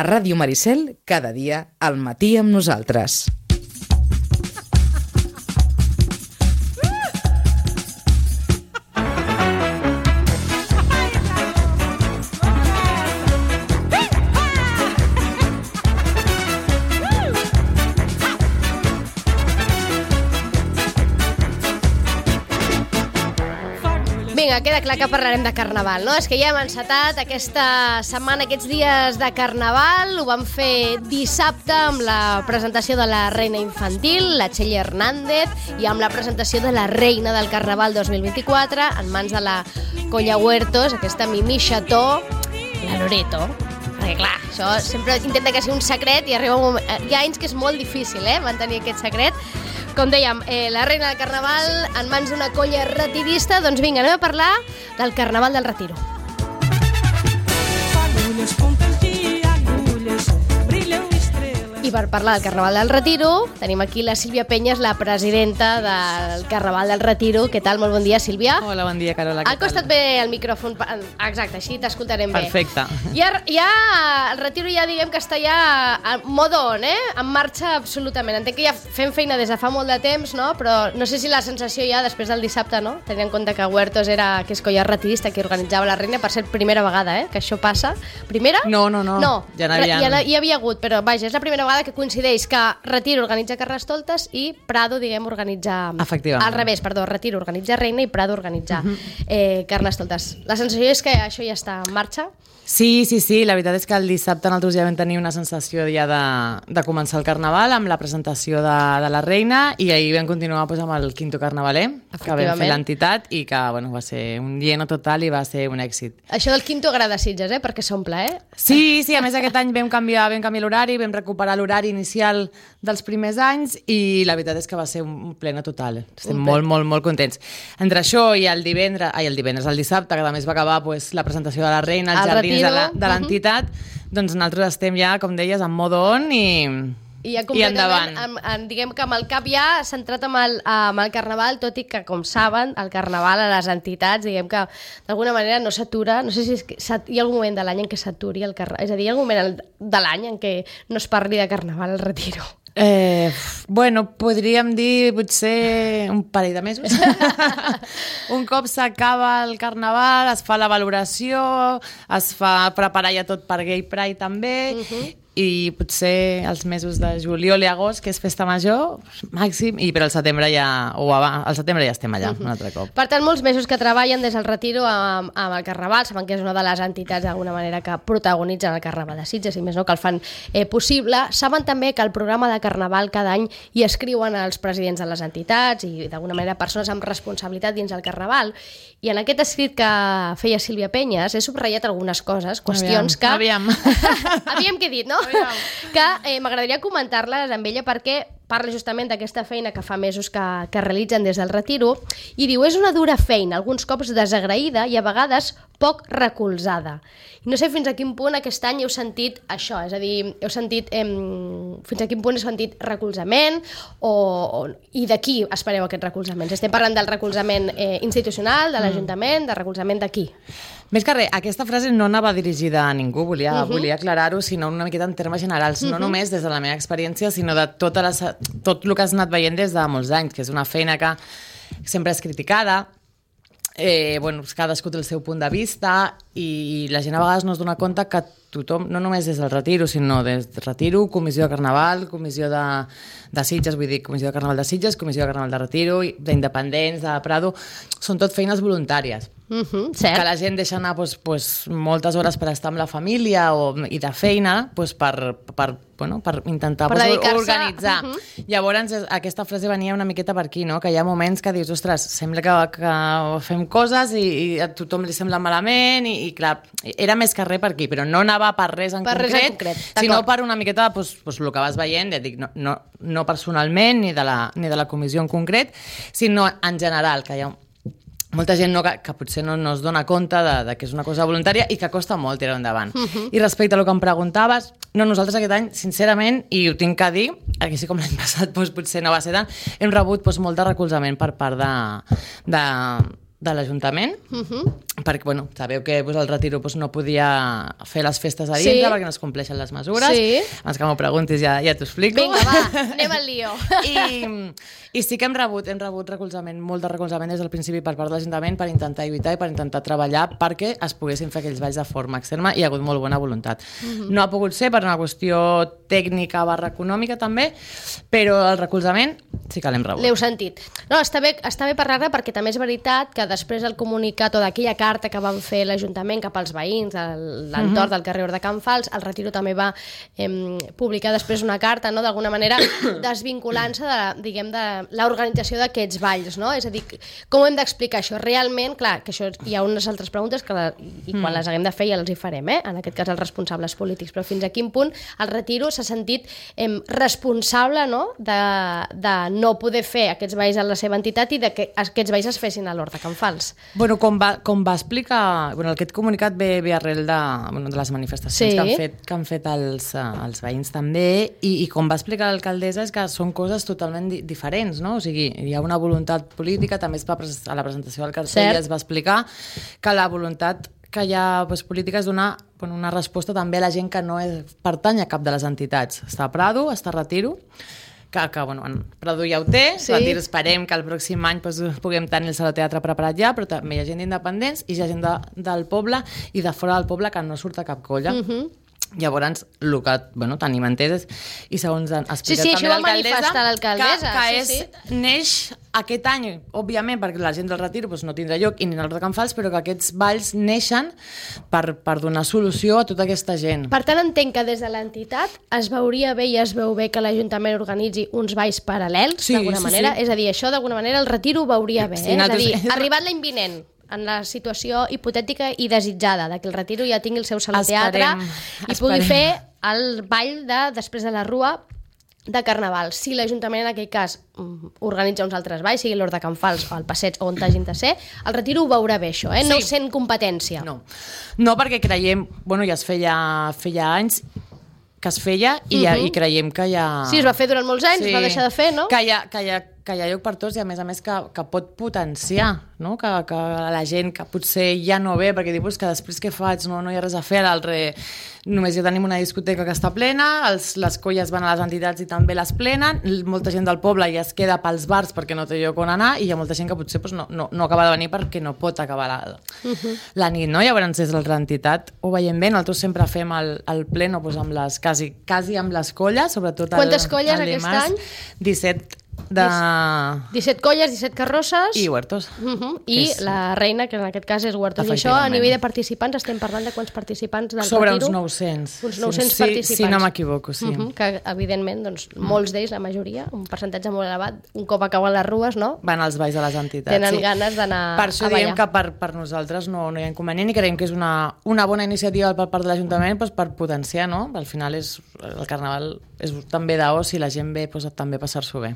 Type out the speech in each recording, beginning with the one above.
A Ràdio Maricel, cada dia, al matí amb nosaltres. Vinga, queda clar que parlarem de Carnaval, no? És que ja hem encetat aquesta setmana, aquests dies de Carnaval. Ho vam fer dissabte amb la presentació de la reina infantil, la Txell Hernández, i amb la presentació de la reina del Carnaval 2024, en mans de la Colla Huertos, aquesta Mimi Cható, la Loreto. Perquè clar, això sempre intenta que sigui un secret i arriba un moment... Hi ha anys que és molt difícil, mantenir aquest secret. Com dèiem, la reina del Carnaval en mans d'una colla retirista. Doncs vinga, anem a parlar del Carnaval del Retiro. I per parlar del Carnaval del Retiro tenim aquí la Sílvia Penyes, la presidenta del Carnaval del Retiro. Què tal? Molt bon dia, Sílvia. Hola, bon dia, Carola. Ha costat bé el micròfon. Exacte, així t'escoltarem bé. Perfecte. Ja el Retiro ja diguem que està ja en modo on, en marxa absolutament. Entenc que ja fem feina des de fa molt de temps, no? Però no sé si la sensació ja després del dissabte, no? Tenint en compte que Huertos que és colla retirista, que organitzava la reina, per ser primera vegada, que això passa. Primera? No. Ja hi havia hagut, però vaja, és la primera vegada que coincideix que Retiro organitza Carnestoltes i Prado, diguem, organitza... Efectivament. Al revés, perdó, Retiro organitza Reina i Prado organitza Carnestoltes. La sensació és que això ja està en marxa? Sí, la veritat és que el dissabte nosaltres ja vam tenir una sensació ja de començar el Carnaval amb la presentació de la reina, i ahir vam continuar amb el quinto carnavaler que vam fer l'entitat i que va ser un lleno total i va ser un èxit. Això del quinto agrada a Sitges, perquè s'omple, Sí, a més aquest any vam canviar l'horari, vam recuperar l'horari inicial dels primers anys i la veritat és que va ser un pleno total. Estem molt contents. Entre això i el dissabte, que també es va acabar la presentació de la reina, els jardins de l'entitat, doncs nosaltres estem ja, com deies, en modo on i endavant. Diguem que amb el cap ja centrat amb el Carnaval, tot i que, com saben, el Carnaval a les entitats, diguem que d'alguna manera no s'atura. No sé si hi ha algun moment de l'any en què s'aturi el Carnaval. És a dir, hi ha algun moment de l'any en què no es parli de Carnaval al Retiro. Podríem dir potser un parell de mesos. Un cop s'acaba el Carnaval, es fa la valoració, es fa preparar ja tot per Gay Pride també, i potser els mesos de juliol i agost, que és festa major, màxim, però al setembre ja estem allà un altre cop. Per tant, molts mesos que treballen des del Retiro amb el Carnaval, saben que és una de les entitats d'alguna manera que protagonitzen el Carnaval de Sitges, i més no, que el fan possible. Saben també que el programa de Carnaval cada any hi escriuen els presidents de les entitats i d'alguna manera persones amb responsabilitat dins del Carnaval, i en aquest escrit que feia Sílvia Penyes he subratllat algunes coses, qüestions que... Aviam què he dit, no? Que m'agradaria comentar-les amb ella, perquè parla justament d'aquesta feina que fa mesos que realitzen des del Retiro, i diu, és una dura feina, alguns cops desagraïda i a vegades poc recolzada. I no sé fins a quin punt aquest any heu sentit això, és a dir, fins a quin punt heu sentit recolzament i de qui espereu aquest recolzament? Estem parlant del recolzament institucional, de l'Ajuntament, del recolzament de qui? Més que res, aquesta frase no anava dirigida a ningú, volia aclarar-ho, sinó una miqueta en termes generals, no només des de la meva experiència, sinó de tot el que has anat veient des de molts anys, que és una feina que sempre és criticada, cadascú té el seu punt de vista, i la gent a vegades no es dona compte que tothom, no només des del Retiro, sinó des del Retiro, Comissió de Carnaval, Comissió de Sitges, vull dir, Comissió de Carnaval de Sitges, Comissió de Carnaval de Retiro, d'Independents, de Prado, són tot feines voluntàries. Que la gent deixa anar moltes hores per estar amb la família i de feina per intentar organitzar. Llavors aquesta frase venia una miqueta per aquí, que hi ha moments que dius, ostres, sembla que fem coses i a tothom li sembla malament, i clar, era més que res per aquí, però no anava per res en concret, sinó per una miqueta el que vas veient, ja dic, no personalment ni de la comissió en concret, sinó en general, que hi ha molta gent que potser no es dona compte de que és una cosa voluntària i que costa molt tirar endavant. I respecte a el que em preguntaves, nosaltres aquest any, sincerament, i ho tinc que dir, així com l'any passat potser no va ser tant, hem rebut molt de recolzament per part de l'Ajuntament, perquè, bueno, sabeu que el Retiro no podia fer les festes a dintre perquè no es compleixen les mesures. Abans que m'ho preguntis ja t'ho explico. Vinga, va, anem al lío. I sí que hem rebut recolzament, molt de recolzament des del principi per part de l'Ajuntament per intentar lluitar i per intentar treballar perquè es poguessin fer aquells balls de forma externa i hi ha hagut molt bona voluntat. No ha pogut ser per una qüestió tècnica / econòmica també, però el recolzament sí que l'hem rebut. L'heu sentit. No, està bé parlar-ne perquè també és veritat que després del comunicat o d'aquella carta que van fer l'Ajuntament cap als veïns de l'entorn del carrer de Can Fals, el Retiro també va publicar després una carta, no?, d'alguna manera desvinculant-se de l'organització d'aquests balls, no? És a dir, com hem d'explicar això? Realment, clar, que això hi ha unes altres preguntes i quan les haguem de fer ja les hi farem, en aquest cas els responsables polítics, però fins a quin punt el Retiro s'ha sentit responsable, no?, de no poder fer aquests balls a la seva entitat i que aquests balls es fessin a l'Hort de Can Fals. Bueno, com va explicar, aquest comunicat ve arrel de les manifestacions que han fet els veïns també, i com va explicar l'alcaldessa és que són coses totalment diferents, no? O sigui, hi ha una voluntat política, també a la presentació del cartell es va explicar que la voluntat que hi ha política és donar una resposta també a la gent que no pertany a cap de les entitats. Està a Prado, està a Retiro, que Prado ja ho té, esperem que el pròxim any puguem tenir el Saló Teatre preparat ja, però també hi ha gent d'independents i hi ha gent del poble i de fora del poble que no surt a cap colla. Llavors, el que tenim entès i segons ha explicat també l'alcaldessa, que neix aquest any, òbviament, perquè la gent del Retiro no tindrà lloc i ni l'Hort de Can Fals, però que aquests balls neixen per donar solució a tota aquesta gent. Per tant, entenc que des de l'entitat es veuria bé i es veu bé que l'Ajuntament organitzi uns balls paral·lels, d'alguna manera. És a dir, això d'alguna manera el Retiro ho veuria bé. És a dir, arribat l'any vinent, en la situació hipotètica i desitjada de que el Retiro ja tingui el seu saló teatre i pugui fer el ball després de la Rua de Carnaval. Si l'Ajuntament en aquell cas organitza uns altres balls, sigui l'Hort de Can Fals o el Passeig o on hagin de ser, el Retiro ho veurà bé això, no sent competència. No, perquè creiem, ja es feia anys que es feia i creiem que ja... Sí, es va fer durant molts anys, es va deixar de fer, no? Que hi ha lloc per tots i a més que pot potenciar, no? Que la gent que potser ja no ve perquè dius que després què faig, no hi ha res a fer, només ja tenim una discoteca que està plena, les colles van a les entitats i també les plenen, molta gent del poble ja es queda pels bars perquè no té lloc on anar i hi ha molta gent que potser no acaba de venir perquè no pot acabar la nit, no? Llavors des de l'entitat ho veiem bé, nosaltres sempre fem el pleno amb les quasi amb les colles, sobretot quantes colles aquest any? 17 colles, 17 carrosses i huertos. I la reina, que en aquest cas és huertos. I això, a nivell de participants, estem parlant de quants participants del Retiro? Sobre uns 900. Uns 900 participants. Si no m'equivoco, sí. Que, evidentment, molts d'ells, la majoria, un percentatge molt elevat, un cop acaben les rues, no? Van als balls de les entitats. Tenen ganes d'anar a ballar. Per això diem que per nosaltres no hi ha inconvenient i creiem que és una bona iniciativa per part de l'Ajuntament per potenciar, no? Al final el Carnaval és també d'oci i la gent ve també a passar-s'ho bé.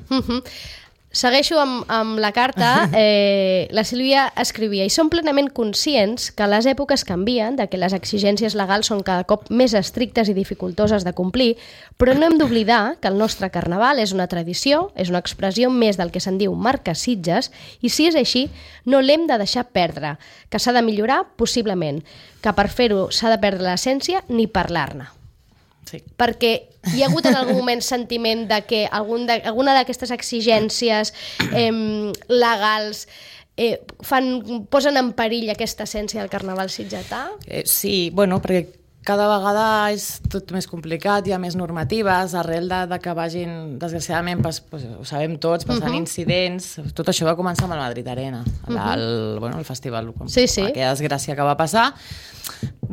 Segueixo amb la carta. La Sílvia escrivia: i som plenament conscients que les èpoques canvien, de que les exigències legals són cada cop més estrictes i dificultoses de complir, però no hem d'oblidar que el nostre Carnaval és una tradició, és una expressió més del que se'n diu marca Sitges, i si és així, no l'hem de deixar perdre, que s'ha de millorar possiblement, que per fer-ho s'ha de perdre l'essència ni parlar-ne. Sí. Perquè hi ha hagut en algun moment sentiment de que alguna d'aquestes exigències legals posen en perill aquesta essència del Carnaval sitgetà? Sí, perquè cada vegada és tot més complicat, hi ha més normatives, arrel de que vagin, desgraciadament, ho sabem tots, passant incidents. Tot això va començar amb el Madrid Arena, el festival, aquella desgràcia que va passar.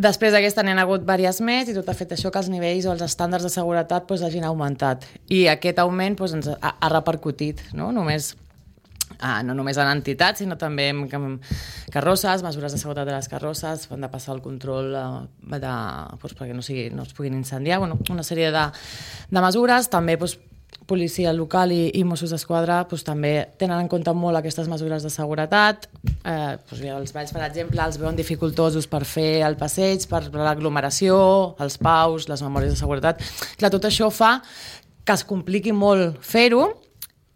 Després d'aquesta n'hi ha hagut diverses més i tot ha fet això que els nivells o els estàndards de seguretat hagin augmentat. I aquest augment ens ha repercutit, no només en entitats, sinó també en carrosses, mesures de seguretat de les carrosses, han de passar el control perquè no es puguin incendiar, una sèrie de mesures, també policia local i Mossos d'Esquadra també tenen en compte molt aquestes mesures de seguretat. Els balls, per exemple, els veuen dificultosos per fer el passeig, per l'aglomeració, els paus, les memòries de seguretat. Clar, tot això fa que es compliqui molt fer-ho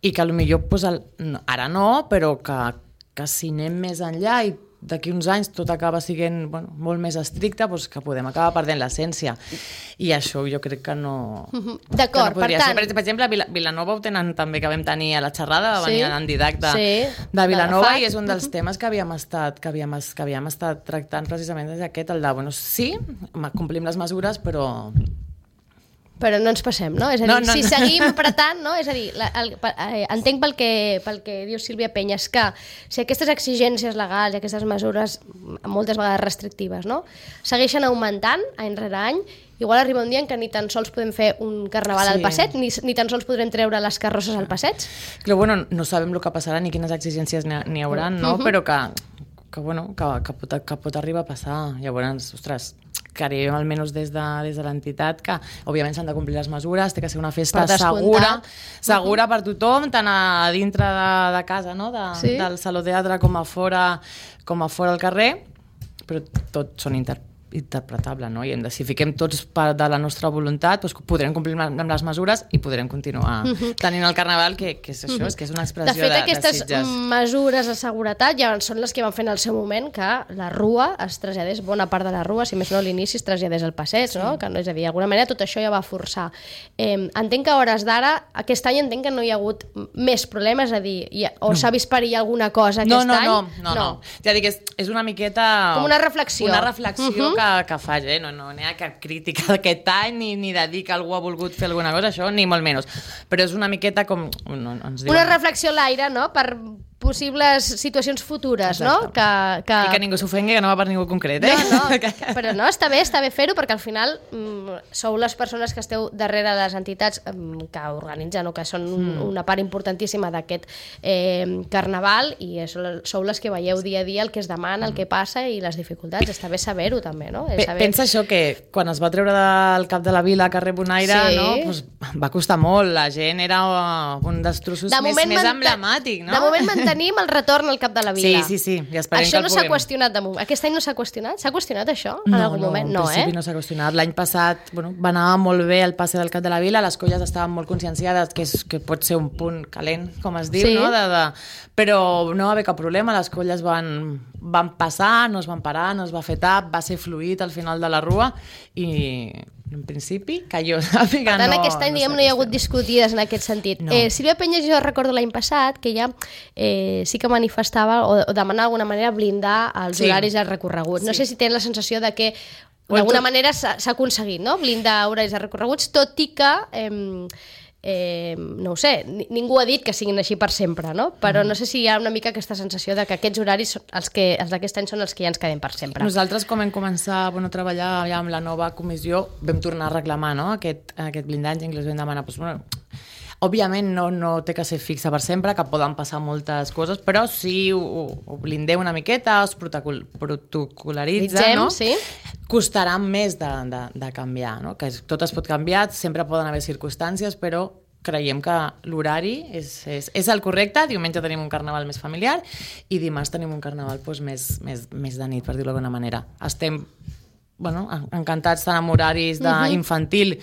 i que potser ara no, però que que si anem més enllà i d'aquí uns anys tot acaba sent molt més estricte, doncs que podem acabar perdent l'essència. I això jo crec que no... D'acord, per tant... Per exemple, a Vilanova ho tenen també, que vam tenir a la xerrada, va venir en Didac de Vilanova, i és un dels temes que havíem estat tractant precisament des d'aquest, el de, sí, complim les mesures, però no ens passem, no? És a dir, si seguim apretant, no? És a dir, entenc pel que diu Sílvia Penyes, que si aquestes exigències legals i aquestes mesures, moltes vegades restrictives, no? Segueixen augmentant any rere any, igual arriba un dia en què ni tan sols podem fer un carnaval al passeig, ni tan sols podrem treure les carrosses al passeig. Però, no sabem el que passarà ni quines exigències n'hi haurà, no? Però que pot arribar a passar. Llavors, ostres, creiem almenys des de l'entitat que òbviament s'han de complir les mesures, té que ser una festa segura per tothom, tant a dintre de casa, no? Del saló teatre com a fora al carrer, però tots són interpretable, no? I si fiquem tots part de la nostra voluntat, doncs podrem complir amb les mesures i podrem continuar tenint el carnaval, que és això, és que és una expressió de Sitges. De fet, aquestes mesures de seguretat ja són les que van fer en el seu moment que la rua es traslladés, bona part de la rua, si més no a l'inici, es traslladés al passeig, no? Que no, és a dir, d'alguna manera tot això ja va forçar. Entenc que a hores d'ara, aquest any entenc que no hi ha hagut més problemes, és a dir, s'ha vist perillar alguna cosa aquest any? No. Ja dic, és una miqueta... Com una reflexió. Una reflexió que faig, no hi ha cap crítica d'aquest any ni de dir que algú ha volgut fer alguna cosa, això ni molt menys, però és una miqueta com... Una reflexió a l'aire, no?, per possibles situacions futures, no? I que ningú s'ofengui, que no va per ningú concret, però no, està bé fer-ho, perquè al final sou les persones que esteu darrere les entitats que organitzen o que són una part importantíssima d'aquest carnaval, i sou les que veieu dia a dia el que es demana, el que passa i les dificultats. Està bé saber-ho també, no? Pensa això, que quan es va treure del cap de la vila carrer Bonaire, va costar molt, la gent era un dels trossos més emblemàtic, no? De moment tenim el retorn al cap de la vila. Sí, i esperem això que el no s'ha qüestionat de moment. Aquest any no s'ha qüestionat? S'ha qüestionat això en algun moment? No, en principi no s'ha qüestionat. L'any passat va anar molt bé el passe del cap de la vila, les colles estaven molt conscienciades que pot ser un punt calent, com es diu, no? Però no va haver cap problema, les colles van passar, no es van parar, no es va fer tap, va ser fluid al final de la rua i en principi, que jo sàpiga, per tant, aquest any, no hi ha hagut discutides en aquest sentit. Sílvia Penyes, jo recordo l'any passat que ella sí que manifestava o demanava d'alguna manera blindar els horaris i els recorreguts. No sé si tenen la sensació de que d'alguna manera s'ha aconseguit, no?, blindar horaris i recorreguts, tot i que no ho sé, ningú ha dit que siguin així per sempre, no? Però no sé si hi ha una mica aquesta sensació de que aquests horaris, els d'aquest any, són els que ja ens quedem per sempre. Nosaltres, com vam començar a treballar ja amb la nova comissió, vam tornar a reclamar, no?, aquest blindatge, inclús vam demanar... Òbviament no té que ser fixa per sempre, que poden passar moltes coses, però si ho blindeu una miqueta, es protocol·laritza, no? Costarà més de canviar, no? Que tot es pot canviar, sempre poden haver circumstàncies, però creiem que l'horari és el correcte. Diumenge tenim un carnaval més familiar i dimarts tenim un carnaval més de nit, per dir-ho d'alguna manera. Estem encantats tant amb horaris d'infantil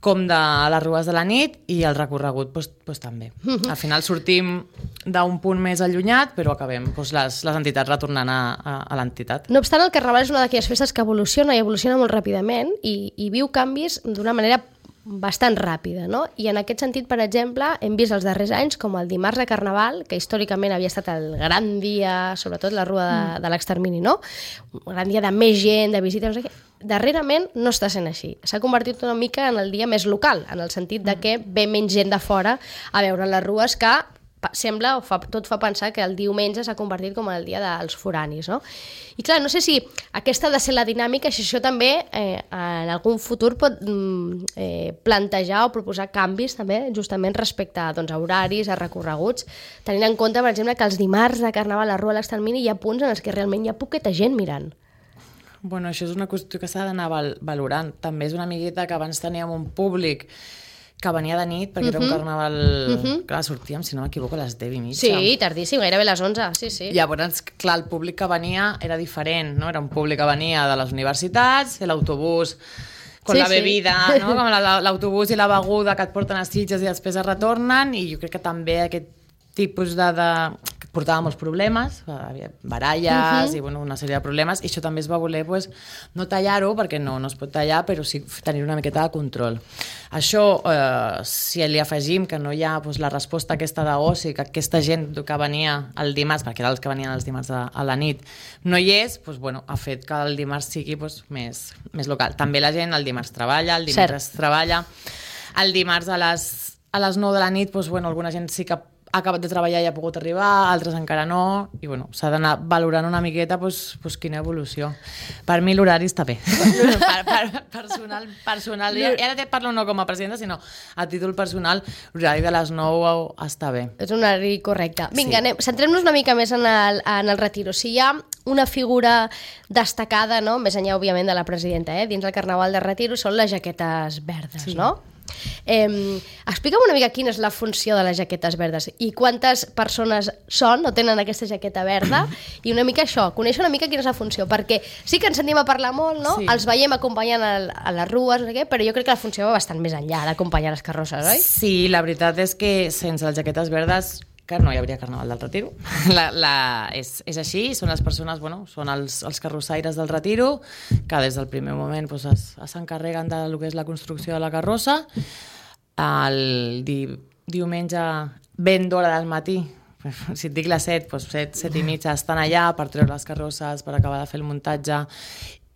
com de les rues de la nit, i el recorregut també. Al final sortim d'un punt més allunyat, però acabem les entitats retornant a l'entitat. No obstant, el carnaval és una d'aquelles festes que evoluciona molt ràpidament i viu canvis d'una manera bastant ràpida, no? I en aquest sentit, per exemple, hem vist els darrers anys com el dimarts de Carnaval, que històricament havia estat el gran dia, sobretot la rua de l'extermini, no? Un gran dia de més gent, de visites, no sé què. Darrerament no està sent així. S'ha convertit una mica en el dia més local, en el sentit de que ve menys gent de fora a veure les rues, que sembla, tot fa pensar que el diumenge s'ha convertit com el dia dels foranis, no? I clar, no sé si aquesta ha de ser la dinàmica, si això també en algun futur pot plantejar o proposar canvis també justament respecte a horaris, a recorreguts, tenint en compte, per exemple, que els dimarts de Carnaval a la Rua de l'Extermini hi ha punts en els que realment hi ha poqueta gent mirant. Bueno, això és una qüestió que s'ha d'anar valorant. També és una amigueta que abans teníem un públic que venia de nit, perquè era un carnaval... Clar, sortíem, si no m'equivoco, a les 10:30. Sí, tardíssim, gairebé a les 11, sí. Llavors, clar, el públic que venia era diferent, no? Era un públic que venia de les universitats, l'autobús con la bebida, no? Com l'autobús i la beguda que et porten a Sitges i després es retornen, i jo crec que també aquest tipus de... portava molts problemes, havia baralles i una sèrie de problemes, i això també es va voler no tallar-ho, perquè no es pot tallar, però sí tenir una miqueta de control. Això, si li afegim que no hi ha la resposta aquesta d'oci, que aquesta gent que venia el dimarts, perquè eren els que venien els dimarts a la nit, no hi és, ha fet que el dimarts sigui més local. També la gent el dimarts treballa, el dimecres treballa, el dimarts a les 9 de la nit, alguna gent sí que ha acabat de treballar i ha pogut arribar, altres encara no, i s'ha d'anar valorant una miqueta quina evolució. Per mi l'horari està bé. Personal. I ara parlo no com a presidenta, sinó a títol personal, l'horari de les 9 està bé. És un horari correcte. Vinga, centrem-nos una mica més en el retiro. Si hi ha una figura destacada, no? Més enllà, òbviament, de la presidenta, dins el Carnaval de Retiro, són les jaquetes verdes, no? Explica'm una mica quina és la funció de les jaquetes verdes i quantes persones són o tenen aquesta jaqueta verda, i una mica això, conèixer una mica quina és la funció, perquè sí que ens sentim a parlar molt, no? Els veiem acompanyant a les rues, no sé què, però jo crec que la funció va bastant més enllà d'acompanyar les carrosses, oi? Sí, la veritat és que sense les jaquetes verdes que no hi hauria Carnaval del Retiro. És així, són les persones, són els carrossaires del Retiro, que des del primer moment s'encarreguen del que és la construcció de la carrossa. El diumenge, ben d'hora del matí, si et dic les 7, 7 i mitja, estan allà per treure les carrosses, per acabar de fer el muntatge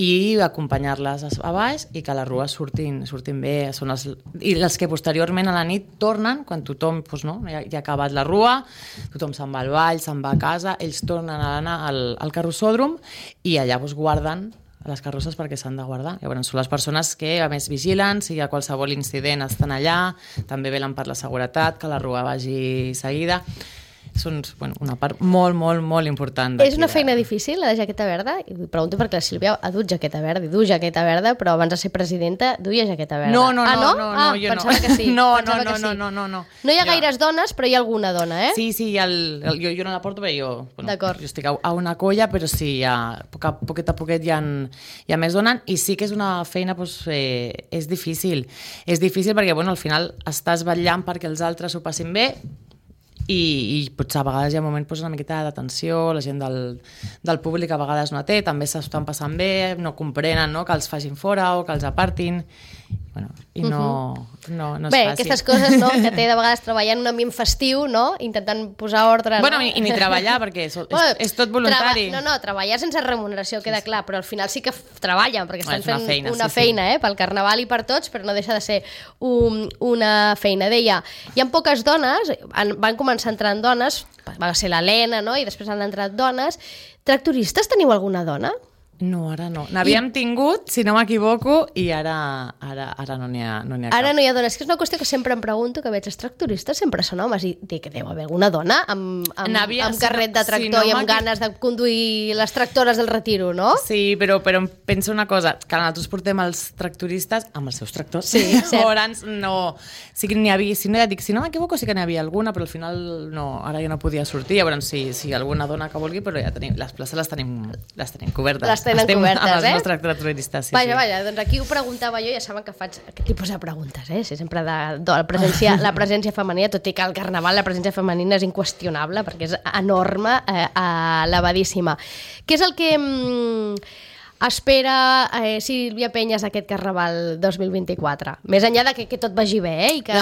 i acompanyar-les a baix i que les rues surtin bé. I els que posteriorment a la nit tornen, quan tothom ja ha acabat la rua, tothom se'n va al ball, se'n va a casa, ells tornen a anar al carrossòdrom i allà guarden les carrosses perquè s'han de guardar. Llavors són les persones que a més vigilen, si hi ha qualsevol incident estan allà, també velen per la seguretat, que la rua vagi seguida. Són una part molt, molt, molt important. És una feina difícil, la de jaqueta verda? I pregunto perquè la Sílvia ha dut jaqueta verda, i du jaqueta verda, però abans de ser presidenta duia jaqueta verda. No, jo pensava que sí. No. No hi ha gaires dones, però hi ha alguna dona, Sí, jo no la porto, però jo estic a una colla, però sí, poquet a poquet hi ha més dones, i sí que és una feina, és difícil. És difícil perquè, al final estàs vetllant perquè els altres ho passin bé, i potser a vegades hi ha un moment una miqueta de tensió, la gent del públic a vegades no té, també s'estan passant bé, no comprenen que els facin fora o que els apartin, i no és fàcil. Bé, aquestes coses que té de vegades treballar en un ambient festiu, intentant posar ordre. I ni treballar, perquè és tot voluntari. Treballar sense remuneració, queda clar, però al final sí que treballen, perquè estan fent una feina pel Carnaval i per tots, però no deixa de ser una feina. Deia, hi ha poques dones, van començar entrant dones, va ser l'Helena, i després han entrat dones. Tractoristes, teniu alguna dona? No, ara no. N'havíem tingut, si no m'equivoco, i ara no n'hi ha cap. Ara no hi ha dones. Que és una qüestió que sempre em pregunto, que veig els tractoristes sempre són homes, i dic que deu haver alguna dona amb carret de tractor i amb ganes de conduir les tractores del Retiro, no? Sí, però em penso una cosa, que nosaltres portem els tractoristes amb els seus tractors. Sí, cert. Llavors, no... Sí que n'hi havia, si no m'equivoco, sí que n'hi havia alguna, però al final ara ja no podia sortir. Llavors, sí, alguna dona que vulgui, però ja tenim, les places les tenim cobertes. Estem cobertes, amb els nostres tractoristes, sí. Vaja, doncs aquí ho preguntava jo, ja saben que faig aquest tipus de preguntes, Sí, sempre la presència femenina, tot i que al Carnaval la presència femenina és inqüestionable, perquè és enorme, elevadíssima. Què és el que espera Sílvia Penyes aquest Carnaval 2024? Més enllà de que tot vagi bé, i que...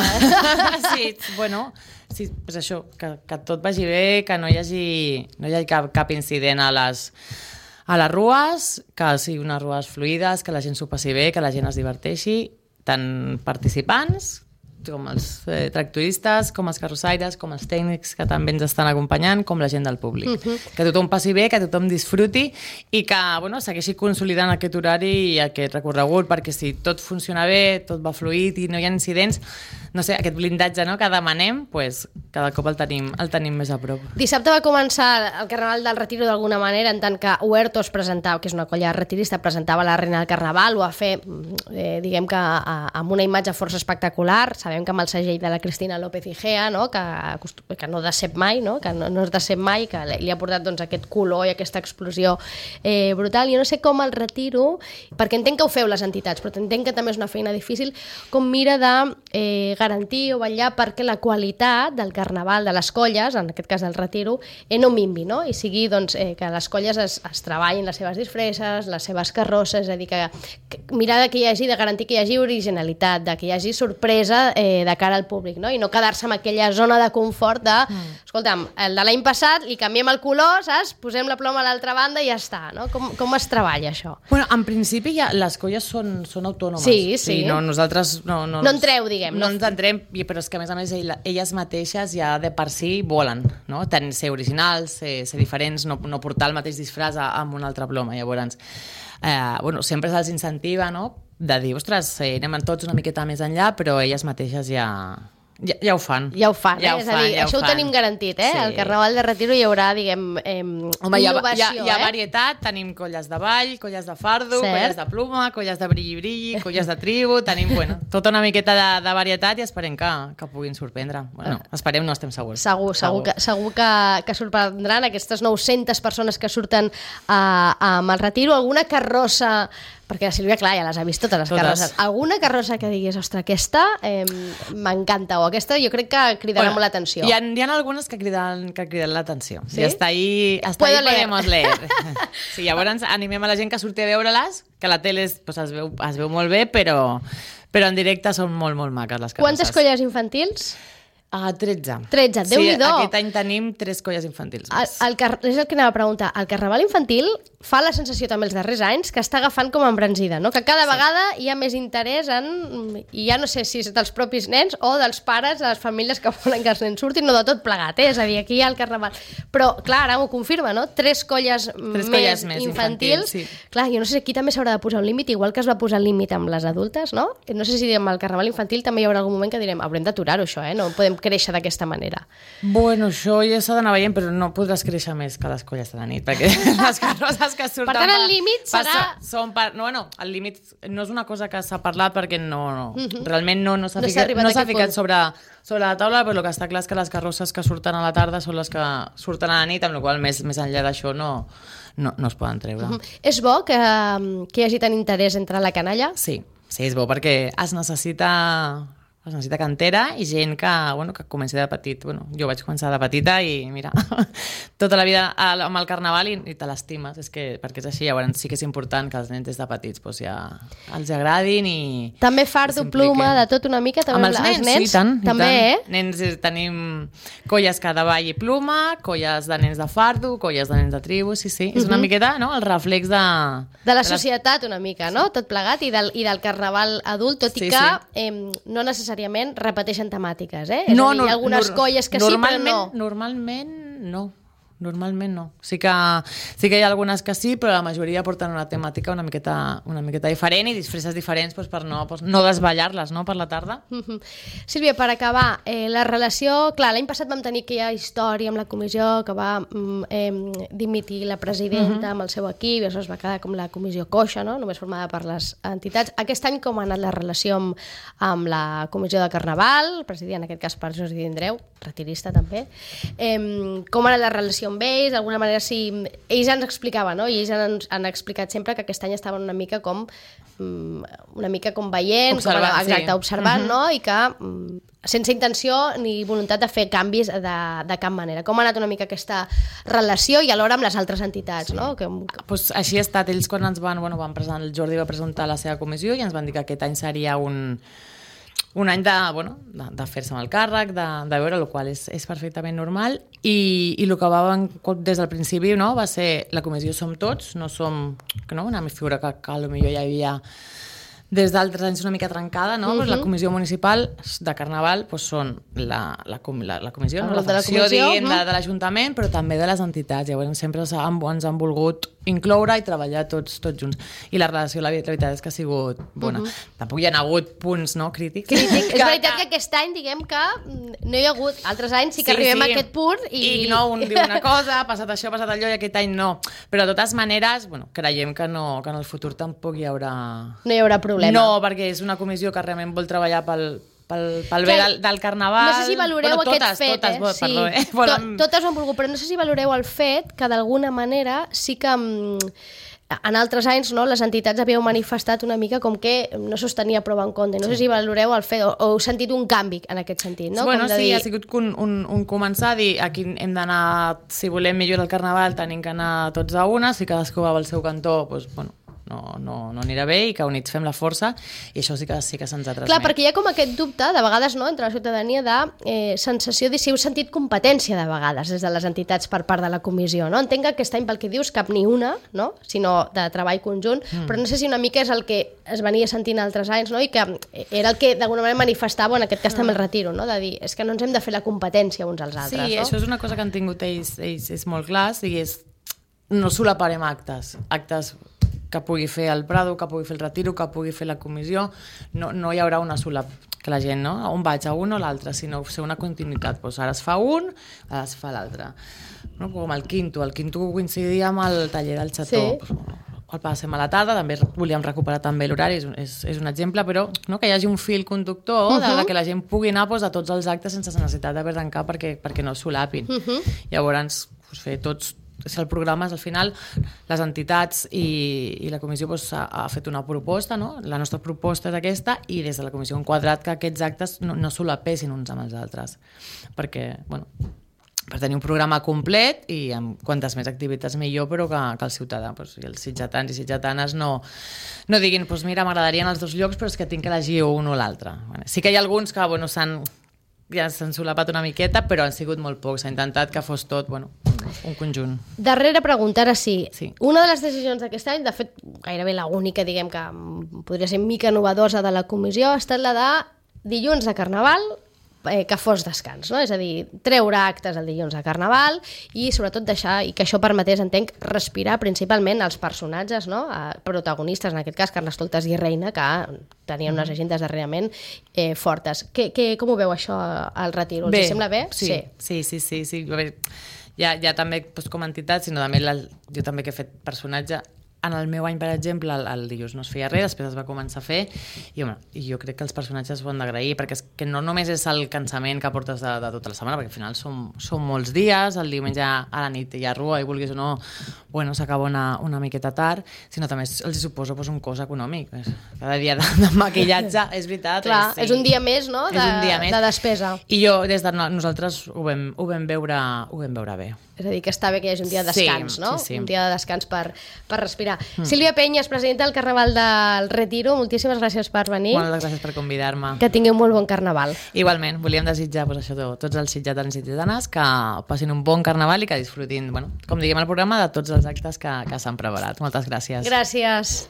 Sí, és això, que tot vagi bé, que no hi hagi cap incident a les rues, que siguin unes rues fluides, que la gent s'ho passi bé, que la gent es diverteixi, tant participants com els tractoristes, com els carrossaires, com els tècnics que també ens estan acompanyant, com la gent del públic. Que tothom passi bé, que tothom disfruti i que segueixi consolidant aquest horari i aquest recorregut, perquè si tot funciona bé, tot va fluid i no hi ha incidents, no sé, aquest blindatge que demanem, cada cop el tenim més a prop. Dissabte va començar el Carnaval del Retiro d'alguna manera, en tant que Huertos presentava, que és una colla retirista, presentava la Reina del Carnaval, ho va fer, diguem que amb una imatge força espectacular, s'ha sabem que amb el segell de la Cristina López Igea, no? Que no decep mai, no? Que no es decep mai, que li ha portat doncs, aquest color i aquesta explosió brutal. Jo no sé com el Retiro, perquè entenc que ho feu les entitats, però entenc que també és una feina difícil, com mira de garantir o vetllar perquè la qualitat del carnaval, de les colles, en aquest cas del Retiro, no minvi, no? I sigui doncs, que les colles es treballin les seves disfresses, les seves carrosses, és a dir, que mirar que hi hagi, de garantir que hi hagi originalitat, que hi hagi sorpresa de cara al públic, no? I no quedar-se en aquella zona de confort de, escolta'm, el de l'any passat li canviem el color, saps? Posem la ploma a l'altra banda i ja està, no? Com es treballa això? Bueno, en principi ja les colles són autònomes. Sí. No, nosaltres no entreu, diguem. No ens entrem, però és que a més elles mateixes ja de per si volen, no? Ser originals, ser diferents, no portar el mateix disfraç amb una altra ploma. Llavors, sempre se'ls incentiva, no?, de dir, ostres, anem tots una miqueta més enllà, però elles mateixes ja ho fan. Ja ho fan, és a dir, això ho tenim garantit, Sí. Al Carnaval de Retiro hi haurà, diguem, innovació. Hi ha varietat, tenim colles de ball, colles de fardo, colles de pluma, colles de brilli-brilli, colles de tribu, tenim, tota una miqueta de varietat i esperem que puguin sorprendre. Esperem, no estem segurs. Segur que sorprendran aquestes 900 persones que surten amb el Retiro. Alguna carrossa, perquè la Sílvia, clar, ja les ha vist totes les carrosses. Alguna carrossa que diguis, ostres, aquesta m'encanta, o aquesta jo crec que cridarà molt l'atenció. Hi ha algunes que criden l'atenció. Sí? I hasta ahí podemos leer. Sí, llavors animem a la gent que surti a veure-les, que a la tele es veu molt bé, però en directe són molt, molt maques les carrosses. Quantes colles infantils? 13. 13, Déu-n'hi-do. Sí, aquest any tenim 3 colles infantils. És el que anava a preguntar. El Carnaval infantil fa la sensació també els darrers anys que està agafant com embranzida, no? Que cada vegada hi ha més interès i ja no sé si és dels propis nens o dels pares, de les famílies que volen que els nens surtin, o de tot plegat, És a dir, aquí hi ha el Carnaval. Però, clar, ara m'ho confirma, no? 3 colles més infantils. Sí. Clar, jo no sé si aquí també s'haurà de posar un límit, igual que es va posar el límit amb les adultes, no? No sé si amb el Carnaval infantil també hi haurà algun moment que direm, haurem d'aturar-ho, això, No podem créixer d'aquesta manera. Bueno, això ja s'ha d'anar veient, però no podràs créixer més que les colles de la nit, perquè les carrosses que surten... Per tant, el límit serà... el límit no és una cosa que s'ha parlat perquè realment no s'ha ficat sobre la taula, però el que està clar és que les carrosses que surten a la tarda són les que surten a la nit, amb la qual cosa més enllà d'això no es poden treure. És bo que hi hagi tant interès entre la canalla? Sí, és bo, perquè es necessita cantera i gent que comenci de petit. Jo vaig començar de petita i mira, tota la vida amb el Carnaval i te l'estimes, perquè és així. Llavors sí que és important que els nens des de petits ja els agradin i... També fardo, pluma, de tot una mica? Amb els nens, sí, tant. També, Nens, tenim colles que de ball i pluma, colles de nens de fardo, colles de nens de tribu, sí. És una miqueta, el reflex de... De la societat una mica, no? Tot plegat, i del Carnaval adult, tot i que no necessàriament repeteixen temàtiques, És a dir, hi ha algunes colles que sí, però no. Normalment no. Sí que hi ha algunes que sí, però la majoria porten una temàtica una miqueta diferent i disfresses diferents per no desballar-les, per la tarda. Sílvia, per acabar, la relació... Clar, l'any passat vam tenir aquella història amb la comissió que va dimitir la presidenta amb el seu equip, i això es va quedar com la comissió coixa, només formada per les entitats. Aquest any com ha anat la relació amb la comissió de Carnaval, presidida en aquest cas per Jordi Andreu, retirista també. Com ha anat la relació amb ells? D'alguna manera, sí, ells ens explicaven, i ells han explicat sempre que aquest any estaven una mica com veient, observant, i que sense intenció ni voluntat de fer canvis de cap manera. Com ha anat una mica aquesta relació i alhora amb les altres entitats, no? Així ha estat. Ells quan ens el Jordi va presentar la seva comissió i ens van dir que aquest any seria un any de fer-se amb el càrrec, de veure, el qual és perfectament normal, i el que va des del principi va ser la comissió som tots, no som una figura que potser ja hi havia des d'altres anys una mica trencada, la comissió municipal de Carnaval són la comissió, la facció de l'Ajuntament, però també de les entitats. Llavors sempre ens han volgut incloure i treballar tots junts. I la relació, la veritat és que ha sigut bona. Tampoc hi ha hagut punts crítics. És veritat que aquest any, diguem que no hi ha hagut. Altres anys sí que arribem a aquest punt i un diu una cosa, ha passat això, ha passat allò, i aquest any no. Però de totes maneres, creiem que en el futur tampoc hi haurà... No hi haurà problema. No, perquè és una comissió que realment vol treballar pel pel bé del carnaval. No sé si valoreu aquest fet, totes ho han volgut, però no sé si valoreu el fet que d'alguna manera sí que en altres anys les entitats havíeu manifestat una mica com que no sostenia prou en compte. No sé si valoreu el fet o heu sentit un canvi en aquest sentit. No? Bueno, sí, ha sigut un començar a dir aquí hem d'anar, si volem millorar el carnaval tenim que anar tots a una, si cadascú va al seu cantó, doncs, bueno, no anirà bé i que units fem la força, i això sí que se'ns ha transmet. Clar, perquè hi ha com aquest dubte, de vegades, entre la ciutadania, de sensació de si heu sentit competència de vegades des de les entitats per part de la comissió. No? Entenc que aquest any, pel que dius, cap ni una, no? Sinó de treball conjunt, però no sé si una mica és el que es venia sentint altres anys, no? I que era el que d'alguna manera manifestava, en aquest cas també el retiro, no? De dir, és que no ens hem de fer la competència uns als altres. Sí, això és una cosa que han tingut ells és molt clar, i és no solaparem actes que pugui fer el Prado, que pugui fer el Retiro, que pugui fer la comissió, no hi haurà una sola que la gent, no? On vaig, a un o l'altre, sinó ser una continuïtat. Doncs ara es fa un, ara es fa l'altre. No? Com el quinto coincidia amb el taller del xató. Sí. El passem a la tarda, també volíem recuperar també l'horari, és un exemple, però que hi hagi un fil conductor de que la gent pugui anar a tots els actes sense necessitat d'haver d'arrencar perquè no es solapin. Llavors, fer tots. El programa és, al final, les entitats i la comissió ha fet una proposta, no? La nostra proposta és aquesta, i des de la comissió hem quadrat que aquests actes no solapessin uns amb els altres, perquè, per tenir un programa complet i amb quantes més activitats millor, però que el ciutadà i els sitgetans i sitgetanes no diguin, mira, m'agradarien els dos llocs, però és que tinc que elegir un o l'altre. Sí que hi ha alguns que s'han solapat una miqueta, però han sigut molt pocs. S'ha intentat que fos tot un conjunt. Darrera pregunta, ara sí. Una de les decisions d'aquest any, de fet, gairebé l'única, diguem que podria ser mica novedosa de la comissió, ha estat la de dilluns de Carnaval, que fos descans, no? És a dir, treure actes el dilluns de Carnaval i sobretot deixar, i que això permetés, entenc, respirar principalment els personatges, no? Protagonistes, en aquest cas Carnestoltes i Reina, que tenien unes agendes darrerament fortes. Com ho veu això al Retiro? Els sembla bé? Sí. Ja també com a entitat, sinó també jo també que he fet personatge. En el meu any, per exemple, el dilluns no es feia res, després es va començar a fer, i jo crec que els personatges ho han d'agrair, perquè és que no només és el cansament que portes de tota la setmana, perquè al final són molts dies, el diumenge a la nit hi ha rua, i vulguis o no, s'acaba una miqueta tard, sinó també els suposa un cost econòmic. Cada dia de maquillatge, és veritat. Clar, és un dia més, no?, de despesa. I des de nosaltres ho vam veure bé. És a dir, que està bé que hi hagi un dia de descans, no? Sí. Un dia de descans per respirar. Sílvia Penyes, presidenta del Carnaval del Retiro, moltíssimes gràcies per venir. Moltes gràcies per convidar-me. Que tingueu molt bon Carnaval. Igualment, volíem desitjar tots els sitgetans i sitgetanes que passin un bon Carnaval i que disfrutin, com diguem al programa, de tots els actes que s'han preparat. Moltes gràcies. Gràcies.